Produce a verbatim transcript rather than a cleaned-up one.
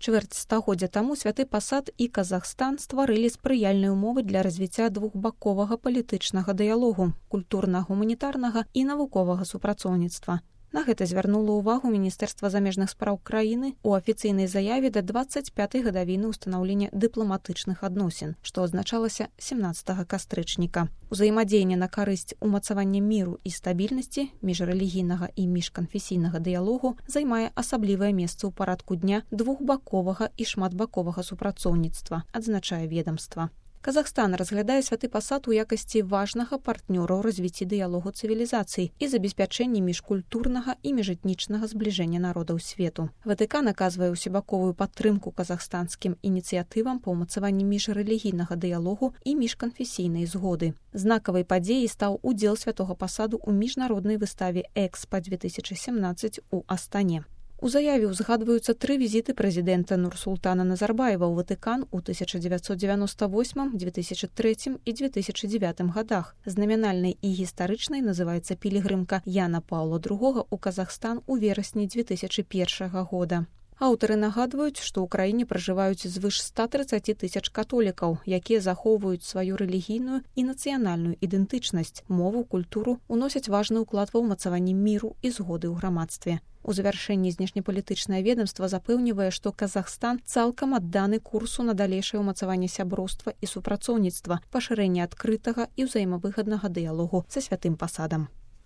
Чвэрць стагоддзя таму святы пасад і Казахстан стварылі спрыяльныя ўмовы для развіцця двухбаковага палітычнага дыялогу, культурна-гуманітарнага і навуковага супрацоўніцтва. На гэта звярнула ўвагу Міністэрства замежных спраў краіны ў афіцыйнай заяве да дваццаць пятай гадавіны ўстанаўлення дыпламатычных адносін, што азначалася семнаццатага кастрычніка. Узаемадзеянне на карысць умацавання міру і стабільнасці, міжрэлігійнага і міжканфесійнага дыялогу займае асаблівае месца ў парадку дня двухбаковага і шматбаковага супрацоўніцтва, адзначае ведамства. Казахстан разглядае святы пасад у якасці важнага партнёра ў развіцці дыялогу цывілізацый і забеспячэнні міжкультурнага і міжэтнічнага збліжэння народаў свету. Ватыкан аказвае ўсебаковую падтрымку казахстанскім ініцыятывам па ўмацаванні міжрэлігійнага дыялогу і міжканфесійнай згоды. Знакавай падзеяй стаў удзел святога пасаду ў міжнароднай выставе «Экспа две тысячи семнадцать» у Астане. У заяве ўзгадваюцца тры візіты прэзідэнта Нурсултана Назарбаева ў Ватыкан у тысяча дзевяцьсот дзевяноста восьмым, две тысячи трэцім і две тысячи дзевятым годах. Знамянальнай і гістарычнай называецца пілігрымка Яна Паўла другога ў Казахстан у верасні две тысячи першага года. Аўтары нагадваюць, што ў краіне пражываюць звыш ста трыццаці тысяч католікаў, якія захоўваюць сваю рэлігійную і нацыянальную ідэнтычнасць, мову, культуру, уносяць важны ўклад ва ўмацаванні міру і згоды ў грамадстве. У завяршэнні знешнепалітычнае ведамства запэўнівае, што Казахстан цалкам адданы курсу на далейшае ўмацаванне сяброўства і супрацоўніцтва, пашырэнне адкрытага і ўзаемавыгаднага дыялогу са святым пасадам.